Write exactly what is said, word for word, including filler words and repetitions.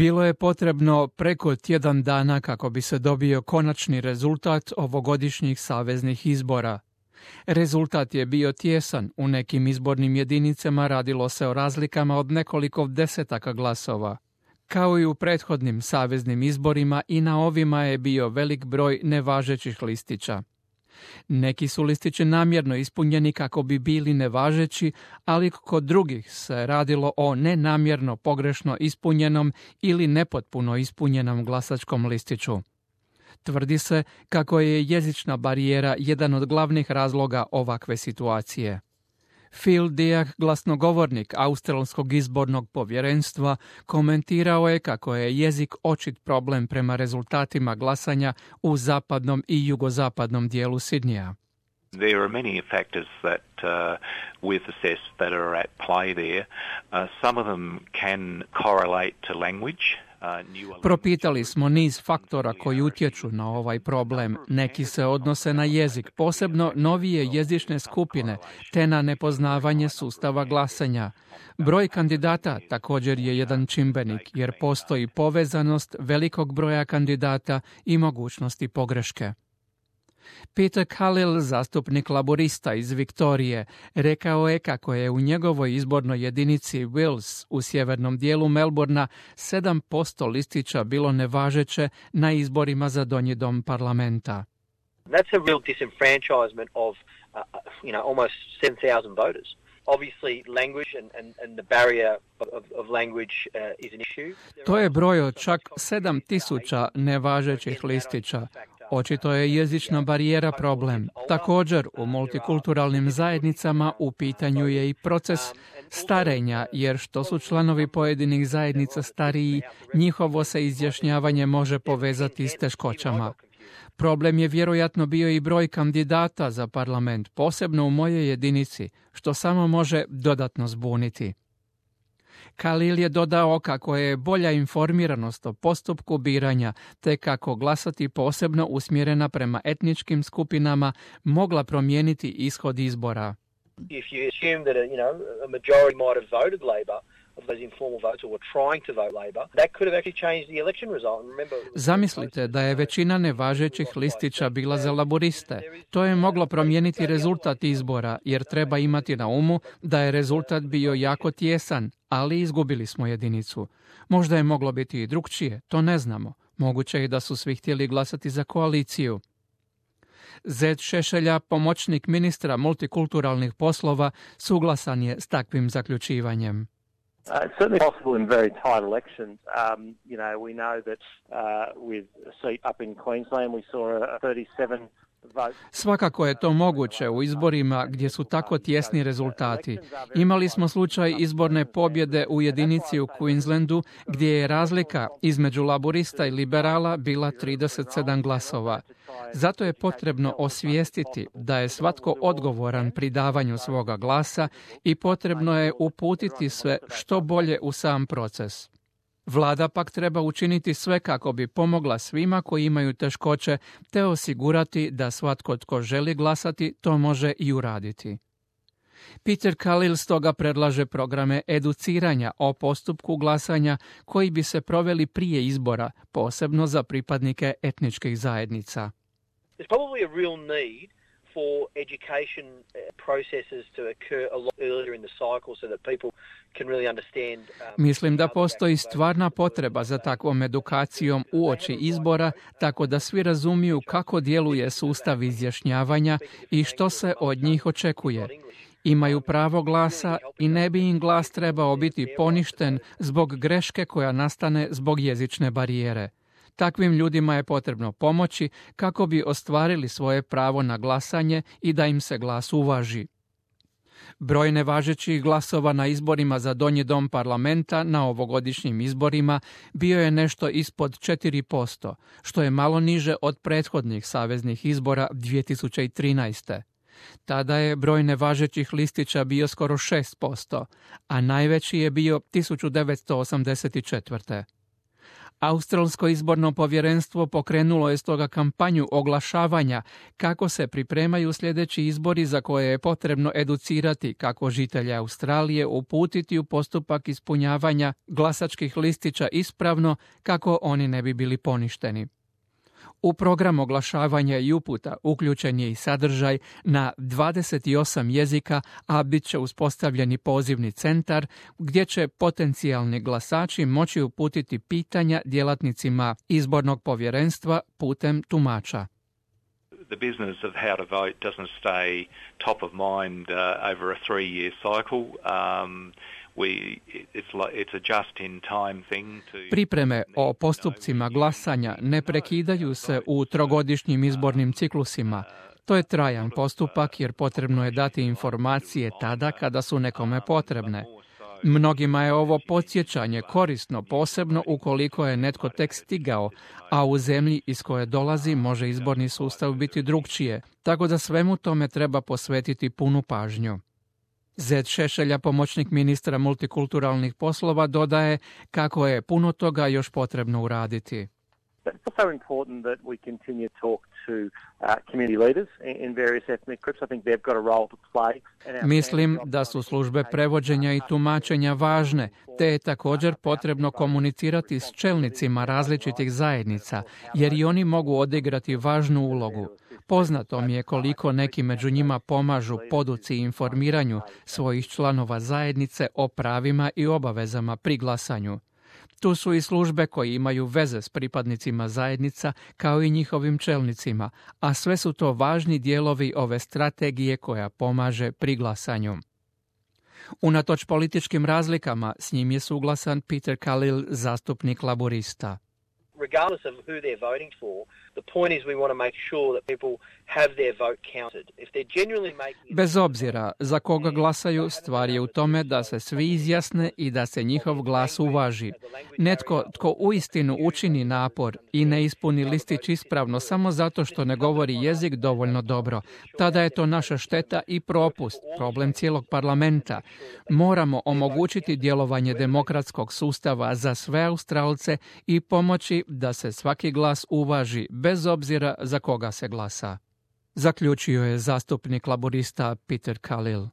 Bilo je potrebno preko tjedan dana kako bi se dobio konačni rezultat ovogodišnjih saveznih izbora. Rezultat je bio tijesan, u nekim izbornim jedinicama radilo se o razlikama od nekoliko desetaka glasova. Kao i u prethodnim saveznim izborima i na ovima je bio velik broj nevažećih listića. Neki su listići namjerno ispunjeni kako bi bili nevažeći, ali kod drugih se radilo o nenamjerno pogrešno ispunjenom ili nepotpuno ispunjenom glasačkom listiću. Tvrdi se kako je jezična barijera jedan od glavnih razloga ovakve situacije. Phil Diak, glasnogovornik Australskog izbornog povjerenstva, komentirao je kako je jezik očit problem prema rezultatima glasanja u zapadnom i jugozapadnom dijelu Sidneya. There are many factors that uh, we've assessed that are at play there. Uh, some of them can correlate to language. Propitali smo niz faktora koji utječu na ovaj problem. Neki se odnose na jezik, posebno novije jezične skupine, te na nepoznavanje sustava glasanja. Broj kandidata također je jedan čimbenik, jer postoji povezanost velikog broja kandidata i mogućnosti pogreške. Peter Khalil, zastupnik laborista iz Viktorije, rekao je kako je u njegovoj izbornoj jedinici Wills u sjevernom dijelu Melbourna sedam posto listića bilo nevažeće na izborima za donji dom parlamenta. That's a real disenfranchisement of uh, you know almost seven thousand voters. Obviously language and, and, and the barrier of, of language uh, is an issue. To je broj od čak sedam tisuća nevažećih listića. Očito je jezična barijera problem. Također, u multikulturalnim zajednicama u pitanju je i proces starenja, jer što su članovi pojedinih zajednica stariji, njihovo se izjašnjavanje može povezati s teškoćama. Problem je vjerojatno bio i broj kandidata za parlament, posebno u mojoj jedinici, što samo može dodatno zbuniti. Khalil je dodao kako je bolja informiranost o postupku biranja, te kako glasati posebno usmjerena prema etničkim skupinama mogla promijeniti ishod izbora. If you assume that a, you know, a majority might have voted Labor of those informal votes or were trying to vote Labor, that could have actually changed the election result. Remember, Zamislite da je većina nevažećih listića bila za laboriste. To je moglo promijeniti rezultat izbora, jer treba imati na umu da je rezultat bio jako tijesan, ali izgubili smo jedinicu. Možda je moglo biti i drukčije, to ne znamo. Moguće je da su svi htjeli glasati za koaliciju. Zed Šešelja, pomoćnik ministra multikulturalnih poslova, suglasan je s takvim zaključivanjem. Uh, it's certainly possible in very tight elections. Um, you know, we know that uh, with a seat up in Queensland, we saw a thirty-seven vote. Svakako je to moguće u izborima gdje su tako tjesni rezultati. Imali smo slučaj izborne pobjede u jedinici u Queenslandu gdje je razlika između laborista i liberala bila trideset sedam glasova. Zato je potrebno osvijestiti da je svatko odgovoran pri davanju svoga glasa i potrebno je uputiti sve što bolje u sam proces. Vlada pak treba učiniti sve kako bi pomogla svima koji imaju teškoće te osigurati da svatko tko želi glasati to može i uraditi. Peter Khalil stoga predlaže programe educiranja o postupku glasanja koji bi se proveli prije izbora, posebno za pripadnike etničkih zajednica. There's probably a real need for education processes to occur a lot earlier in the cycle so that people can really understand. Um, Mislim da postoji stvarna potreba za takvom edukacijom uoči izbora, tako da svi razumiju kako djeluje sustav izjašnjavanja i što se od njih očekuje. Imaju pravo glasa i ne bi im glas trebao biti poništen zbog greške koja nastane zbog jezične barijere. Takvim ljudima je potrebno pomoći kako bi ostvarili svoje pravo na glasanje i da im se glas uvaži. Broj nevažećih glasova na izborima za donji dom parlamenta na ovogodišnjim izborima bio je nešto ispod četiri posto, što je malo niže od prethodnih saveznih izbora dvije tisuće trinaeste. Tada je broj nevažećih listića bio skoro šest posto, a najveći je bio tisuću devetsto osamdeset četvrte. Australsko izborno povjerenstvo pokrenulo je stoga kampanju oglašavanja kako se pripremaju sljedeći izbori za koje je potrebno educirati kako žitelje Australije uputiti u postupak ispunjavanja glasačkih listića ispravno kako oni ne bi bili poništeni. U program oglašavanja i uputa uključen je i sadržaj na dvadeset osam jezika, a bit će uspostavljeni pozivni centar gdje će potencijalni glasači moći uputiti pitanja djelatnicima izbornog povjerenstva putem tumača. The business of how to vote doesn't stay top of mind uh, over a three-year cycle. Um, we, it's like, it's a just-in-time thing to... Pripreme o postupcima glasanja ne prekidaju se u trogodišnjim izbornim ciklusima. To je trajan postupak jer potrebno je dati informacije tada kada su nekome potrebne. Mnogima je ovo podsjećanje korisno, posebno ukoliko je netko tek stigao, a u zemlji iz koje dolazi može izborni sustav biti drukčije, tako da svemu tome treba posvetiti punu pažnju. Zed Šešelja, pomoćnik ministra multikulturalnih poslova, dodaje kako je puno toga još potrebno uraditi. It's also important that we continue to talk to uh, community leaders in, in various ethnic groups. I think they've got a role to play. Mislim da su službe prevođenja i tumačenja važne, te je također potrebno komunicirati s čelnicima različitih zajednica, jer i oni mogu odigrati važnu ulogu. Poznato mi je koliko neki među njima pomažu poduci i informiranju svojih članova zajednice o pravima i obavezama pri glasanju. Tu su i službe koje imaju veze s pripadnicima zajednica kao i njihovim čelnicima, a sve su to važni dijelovi ove strategije koja pomaže pri glasanju. Unatoč političkim razlikama, s njim je suglasan Peter Khalil, zastupnik laborista. Regardless of who they're voting for, the point is we want to make sure that people have their vote counted. If they're genuinely making... Bez obzira za koga glasaju, stvar je u tome da se svi izjasne i da se njihov glas uvaži. Netko tko uistinu učini napor i ne ispuni listić ispravno samo zato što ne govori jezik dovoljno dobro, tada je to naša šteta i propust, problem cijelog parlamenta. Moramo omogućiti djelovanje demokratskog sustava za sve Australce i pomoći da se svaki glas uvaži, bez obzira za koga se glasa. Zaključio je zastupnik laborista Peter Khalil.